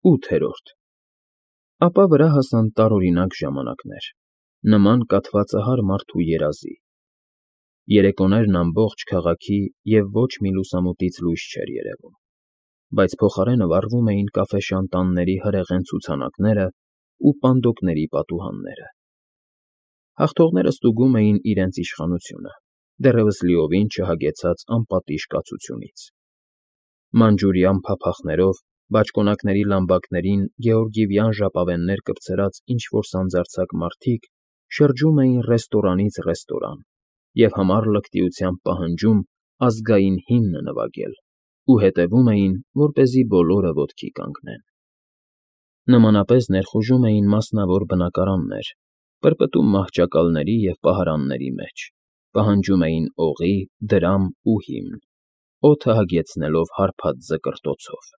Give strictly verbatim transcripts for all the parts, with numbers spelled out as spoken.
Ութերորդ Ապա վրա հասան տարօրինակ ժամանակներ, նման կաթվածահար մարդու երազի. երեկոներն ամբողջ քաղաքի և ոչ մի լուսամուտից լույս չէր երևում, բայց փոխարենը վառվում էին կաֆեշանտանների հրեղեն ցուցանակներն ու պանդոկների պատուհանները. հաղթողները ստուգում էին իրենց իշխանությունը, դեռևս լիովին չհագեցած անպատիժ կացությունից. մանջուրյան փափախներով, բաճկոնակների լամբակներին գեորգիևյան ժապավեններ կպցրած ինչ֊որ սանձարձակ մարդիկ շրջում էին ռեստորանից ռեստորան և համառ լկտիությամբ պահանջում ազգային հիմնը նվագել ու հետևում էին, որպեսզի բոլորը ոտքի կանգնեն. նմանապես ներխուժում էին մասնավոր բնակարաններ, պրպտում մահճակալների և պահարանների մեջ, պահանջում էին օղի, դրամ ու հիմն, օդը հագեցնելով հարբած զկրտոցով.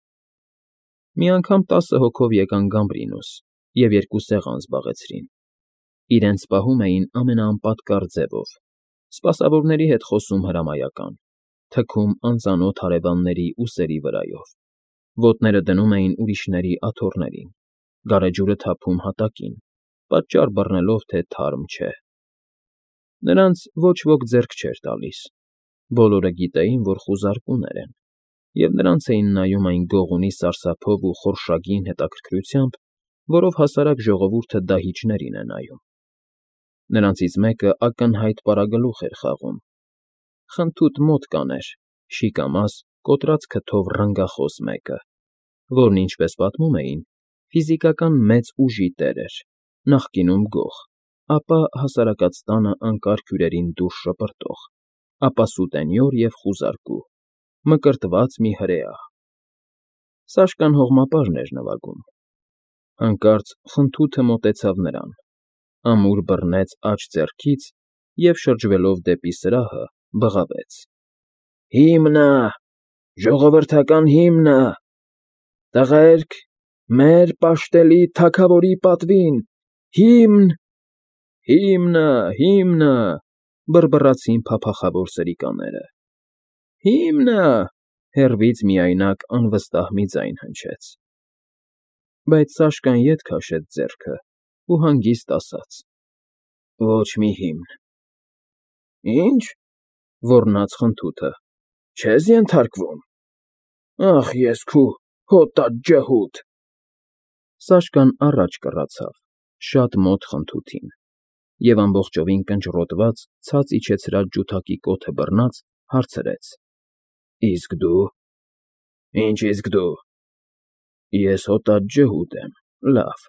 Մի անգամ տասը հոգով եկան Գամբրինուս և երկու սեղան զբաղեցրին, իրենց պահում էին ամենաանպատկառ ձևով, սպասավորների հետ խոսում հրամայական, թքում անծանոթ հարևանների ուսերի վրայով, ոտները դնում էին ուրիշների աթոռներին, գարեջուրը թափում հատակին, պատճառ բռնելով, թե թարմ չէ. նրանց ոչ ոք ձեռք չէր տալիս, բոլորը գիտեին, որ խուզարկուներ են, և նրանց էին նայում այն գողունի սարսափով ու խորշագին հետաքրքրությամբ, որով հասարակ ժողովուրդը դահիճներին է նայում. նրանցից մեկը ակնհայտ պարագլուխ էր խաղում, խնդուտ մոտ կաներ, շիկամազ, կոտրած քթով ռնգախոս մեկը, որն, ինչպես պատմում էին, ֆիզիկական մեծ ուժի տեր էր, նախկինում գող, ապա հասարակած տանըանկար հյուրերին դուրս շպրտող, ապա սուտենյոր և խուզարկու, մկրտված մի հրեա. Սաշկան հողմապարն էր նվագում. հանկարծ խնդուտը մոտեցավ նրան, ամուր բռնեց աջ ձեռքից և, շրջվելով դեպի սրահը, բղավեց. «Հիմնը, ժողովրդական հիմնը, տղերք, մեր պաշտելի թագավորի պատվին, հիմն, հիմնը, հիմնը», բռբռացին փափախավոր սրիկաները. «Հիմնը», հեռվից միայնակ անվստահ մի ձայն հնչեց, բայց Սաշկան ետ քաշեց ձեռքը ու հանգիստ ասաց. «Ոչ մի հիմն»։ «Ի՞նչ», ոռնաց խնդուտը, «չե՞ս ենթարկվում»։ «Ախ ես քու հոտած ջհուդ»։ Սաշկան առաջ կռացավ, շատ մոտ խնդութին, և ամբողջովին կնճռոտված, ցած իջեցրած ջութակի կոթը բռնած, հարցրեց. «Իսկ դու»։ «Ինչ իսկ դու»։ «Ես հոտած ջհուդ եմ, լավ,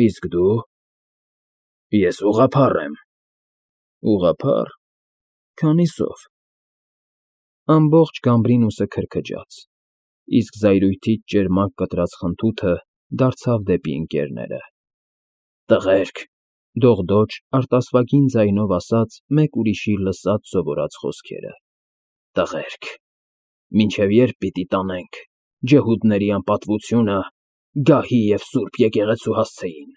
իսկ դու»։ «Ես ուղղափառ եմ»։ «Ուղղափա՞ռ, քանիսով»։ Ամբողջ Գամբրինուսը քրքջաց, իսկ զայրույթից ճերմակ կտրած խնդուտը դարձավ դեպի ընկներները. «Տղերք», դողդոջ, արտասվագին ձայնով ասաց մեկ ուրիշի լսած սովորած խոսքերը, «տղերք, մինչև ե՞րբ պիտի տանենք ջհուդների անպատվությունը գահի և սուրբ եկեղեցու հասցեին»։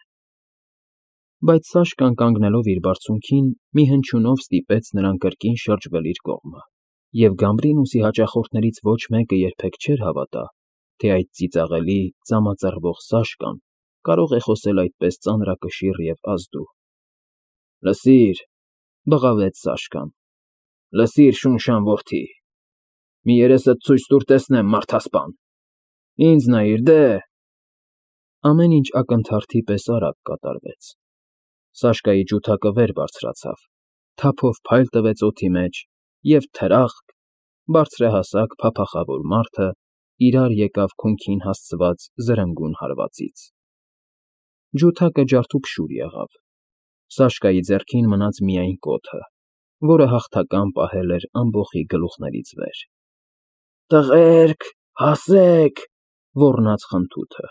Բայց Սաշկան կանգնելով իր բարձունքին, մի հնչյունով ստիպեց նրան կրկին շրջվել իր կողմը, և Գամբրինուսի հաճախորդներից ոչ մեկը երբեք չէր հավատա, թե այդ ծիծաղելի, ծամածռվող Սաշկան կարող է խոսել այդպես ծանրակշիռ և ազդու։ «Լսիր», բղավեց Սաշկան, «լսիր, շունշան որդի, մի երեսդ ցույց տուր տեսնեմ, մարդասպան, ինձ նայիր, դե»։ Ամեն ինչ ակնթարթի պես արագ կատարվեց. Սաշկայի ջութակը վեր բարձրացավ, թափով փայլ տվեց օդի մեջ, և թրախկ, բարձրահասակ փափախավոր մարդը իրար եկավ քունքին հասցված զրնգուն հարվածից։ Ջութակը ջարդուփշուր եղավ, Սաշկայի ձեռքին մնաց միայն կոթը, որը հաղթական պահել էր ամբոխի գլուխներից վեր։ «Տղերք, հասեք», ոռնաց խնդուտը,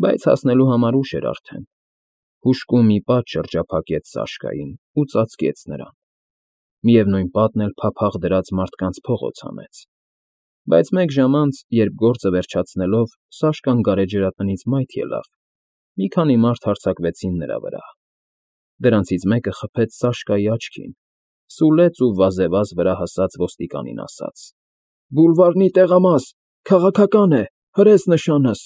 բայց հասնելու համար ուշ էր արդեն, հուժկու մի պատ շրջափակեց Սաշկային ու ծածկեց նրան, միևնույն պատն էլ փափախ դրած մարդկանց փողոց հանեց, բայց մեկ ժամ անց, երբ գործը վերջացնելով Սաշկան գարեջրատնից մայթ ելավ, մի քանի մարդ հարձակվեցին նրա վրա, դրանցից մեկը խփեց Սաշկայի աչքին, սուլեց ու վազեվազ վրա հասած ոստիկանին ասաց. «Բուլվարնի տեղամաս, քաղաքական է, հրես նշանս»։